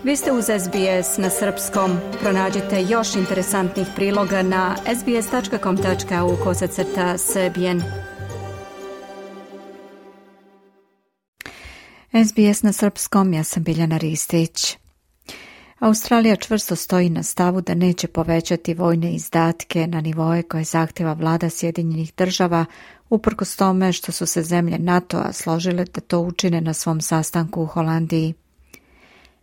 Vi ste uz SBS na srpskom. Pronađite još interesantnih priloga na sbs.com.au/srbijen. SBS na srpskom, ja sam Biljana Ristić. Australija čvrsto stoji na stavu da neće povećati vojne izdatke na nivoe koje zahtjeva vlada Sjedinjenih država, uprkos tome što su se zemlje NATO-a složile da to učine na svom sastanku u Holandiji.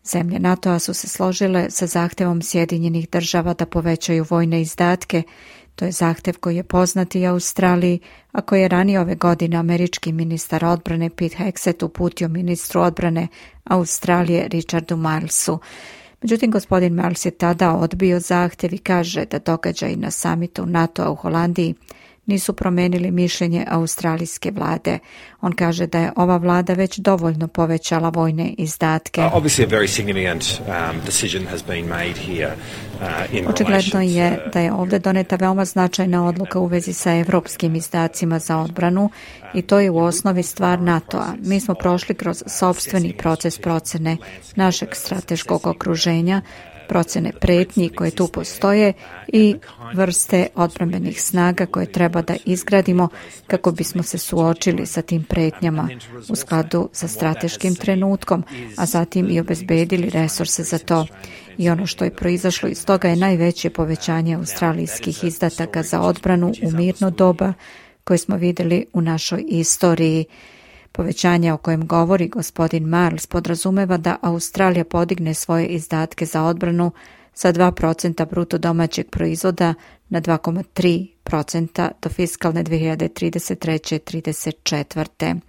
Zemlje NATO-a su se složile sa zahtjevom Sjedinjenih država da povećaju vojne izdatke. To je zahtjev koji je poznat i Australiji, a koji je ranije ove godine američki ministar odbrane Pete Hegseth uputio ministru odbrane Australije Richardu Milesu. Međutim, gospodin Miles je tada odbio zahtjev i kaže da događaji na samitu NATO-a u Holandiji nisu promijenili mišljenje australijske vlade. On kaže da je ova vlada već dovoljno povećala vojne izdatke. Očigledno je da je ovdje doneta veoma značajna odluka u vezi sa evropskim izdacima za odbranu i to je u osnovi stvar NATO-a. Mi smo prošli kroz sopstveni proces procjene našeg strateškog okruženja, procjene pretnji koje tu postoje i vrste odbrambenih snaga koje treba da izgradimo kako bismo se suočili sa tim pretnjama u skladu sa strateškim trenutkom, a zatim i obezbedili resurse za to. I ono što je proizašlo iz toga je najveće povećanje australijskih izdataka za odbranu u mirno doba koje smo vidjeli u našoj istoriji. Povećanje o kojem govori gospodin Miles podrazumeva da Australija podigne svoje izdatke za odbranu sa 2% bruto domaćeg proizvoda na 2,3% do fiskalne 2033-34.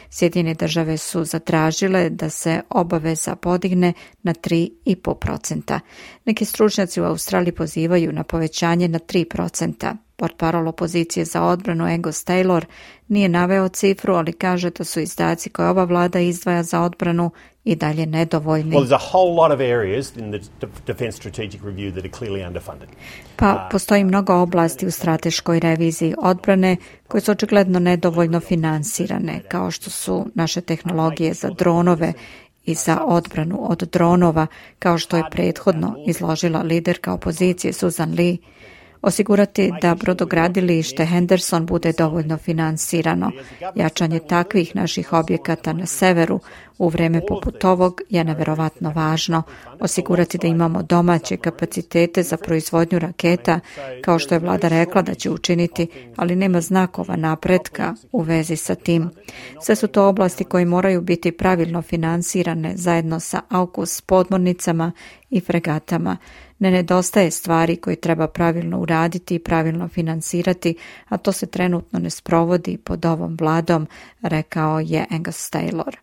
Sjedinjene države su zatražile da se obaveza podigne na 3,5%. Neki stručnjaci u Australiji pozivaju na povećanje na 3%. Portparol opozicije za odbranu Angus Taylor nije naveo cifru, ali kaže da su izdaci koje ova vlada izdvaja za odbranu i dalje nedovoljni. Pa postoji mnogo oblasti u strateškoj reviziji odbrane koje su očigledno nedovoljno finansirane, kao što su naše tehnologije za dronove i za odbranu od dronova, kao što je prethodno izložila liderka opozicije Susan Lee. Osigurati da brodogradilište Henderson bude dovoljno finansirano. Jačanje takvih naših objekata na severu u vrijeme poput ovog je neverovatno važno. Osigurati da imamo domaće kapacitete za proizvodnju raketa, kao što je vlada rekla da će učiniti, ali nema znakova napretka u vezi sa tim. Sve su to oblasti koje moraju biti pravilno finansirane zajedno sa AUKUS podmornicama i fregatama. Ne nedostaje stvari koje treba pravilno uraditi i pravilno finansirati, a to se trenutno ne sprovodi pod ovom vladom, rekao je Angus Taylor.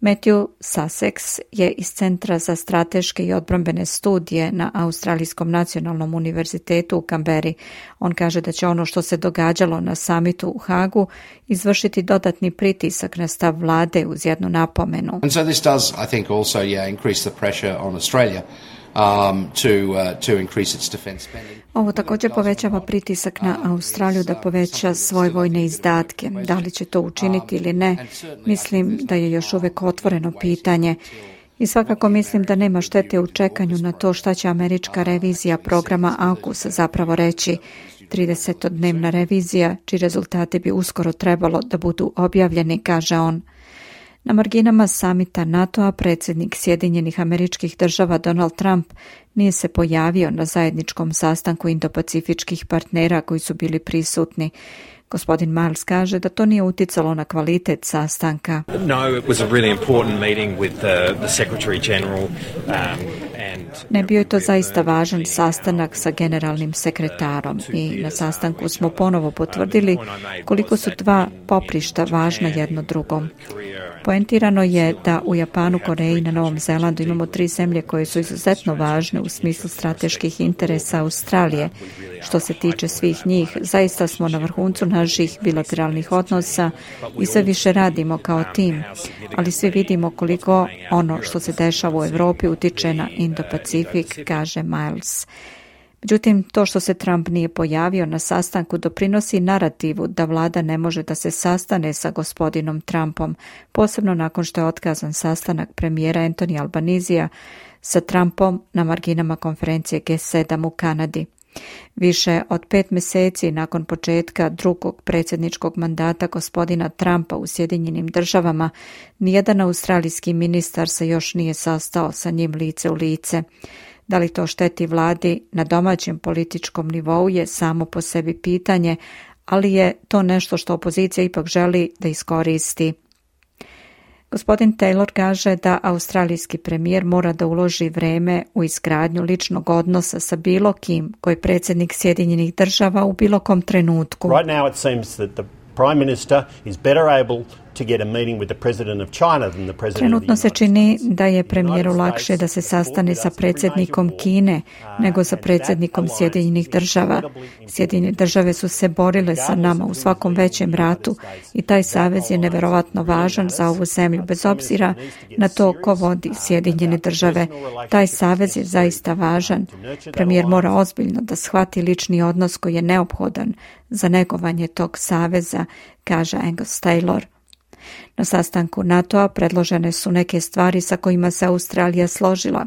Matthew Sussex je iz Centra za strateške i odbrambene studije na Australijskom nacionalnom univerzitetu u Canberri. On kaže da će ono što se događalo na samitu u Hagu izvršiti dodatni pritisak na stav vlade uz jednu napomenu. And so this does, I think, also increase the pressure on Australia. To increase its defense spending. Ovo također povećava pritisak na Australiju da poveća svoje vojne izdatke. Da li će to učiniti ili ne, mislim da je još uvijek otvoreno pitanje. I svakako mislim da nema štete u čekanju na to šta će američka revizija programa AUKUS zapravo reći. 30-dnevna revizija, čiji rezultati bi uskoro trebalo da budu objavljeni, kaže on. Na marginama samita NATO-a predsjednik Sjedinjenih Američkih Država Donald Trump nije se pojavio na zajedničkom sastanku indopacifičkih partnera koji su bili prisutni. Gospodin Miles kaže da to nije uticalo na kvalitet sastanka. No, it was a really important meeting with the Secretary General. Ne, bio je to zaista važan sastanak sa generalnim sekretarom i na sastanku smo ponovo potvrdili koliko su dva poprišta važna jedno drugom. Poentirano je da u Japanu, Koreji i na Novom Zelandu imamo 3 zemlje koje su izuzetno važne u smislu strateških interesa Australije. Što se tiče svih njih, zaista smo na vrhuncu naših bilateralnih odnosa i sve više radimo kao tim, ali svi vidimo koliko ono što se dešava u Europi utiče na Indo-Pacifik, kaže Miles. Međutim, to što se Trump nije pojavio na sastanku doprinosi narativu da vlada ne može da se sastane sa gospodinom Trumpom, posebno nakon što je otkazan sastanak premijera Anthony Albanizija sa Trumpom na marginama konferencije G7 u Kanadi. Više od 5 mjeseci nakon početka drugog predsjedničkog mandata gospodina Trumpa u Sjedinjenim Državama, nijedan australijski ministar se još nije sastao sa njim lice u lice. Da li to šteti vladi na domaćem političkom nivou je samo po sebi pitanje, ali je to nešto što opozicija ipak želi da iskoristi. Gospodin Taylor kaže da australijski premijer mora da uloži vreme u izgradnju ličnog odnosa sa bilo kim koji je predsjednik Sjedinjenih Država u bilo kom trenutku. Right now it seems that the Prime Minister is better able to get a meeting with the President of China than the President of the United States. Trenutno se čini da je premijeru lakše da se sastane sa predsjednikom Kine nego sa predsjednikom Sjedinjenih Država. Sjedinjene Države su se borile sa nama u svakom većem ratu i taj savez je neverovatno važan za ovu zemlju, bez obzira na to ko vodi Sjedinjene Države. Taj savez je zaista važan. Premijer mora ozbiljno da shvati lični odnos koji je neophodan za negovanje tog saveza, kaže Angus Taylor. Na sastanku NATO-a predložene su neke stvari sa kojima se Australija složila.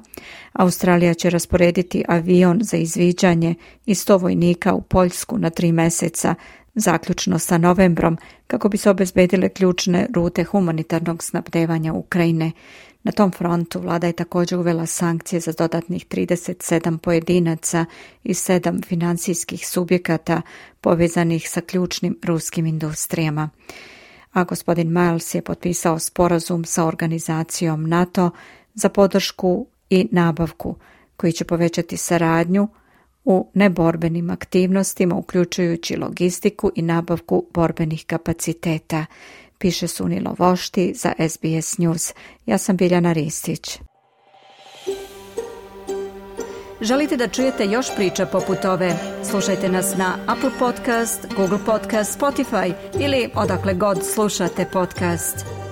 Australija će rasporediti avion za izviđanje i 100 vojnika u Poljsku na 3 mjeseca, zaključno sa novembrom, kako bi se obezbedile ključne rute humanitarnog snabdevanja Ukrajine. Na tom frontu vlada je također uvela sankcije za dodatnih 37 pojedinaca i 7 financijskih subjekata povezanih sa ključnim ruskim industrijama. A gospodin Miles je potpisao sporazum sa organizacijom NATO za podršku i nabavku, koji će povećati saradnju u neborbenim aktivnostima, uključujući logistiku i nabavku borbenih kapaciteta, piše Sunilo Vošti za SBS News. Ja sam Biljana Ristić. Želite da čujete još priča poput ove? Slušajte nas na Apple Podcast, Google Podcast, Spotify ili odakle god slušate podcast.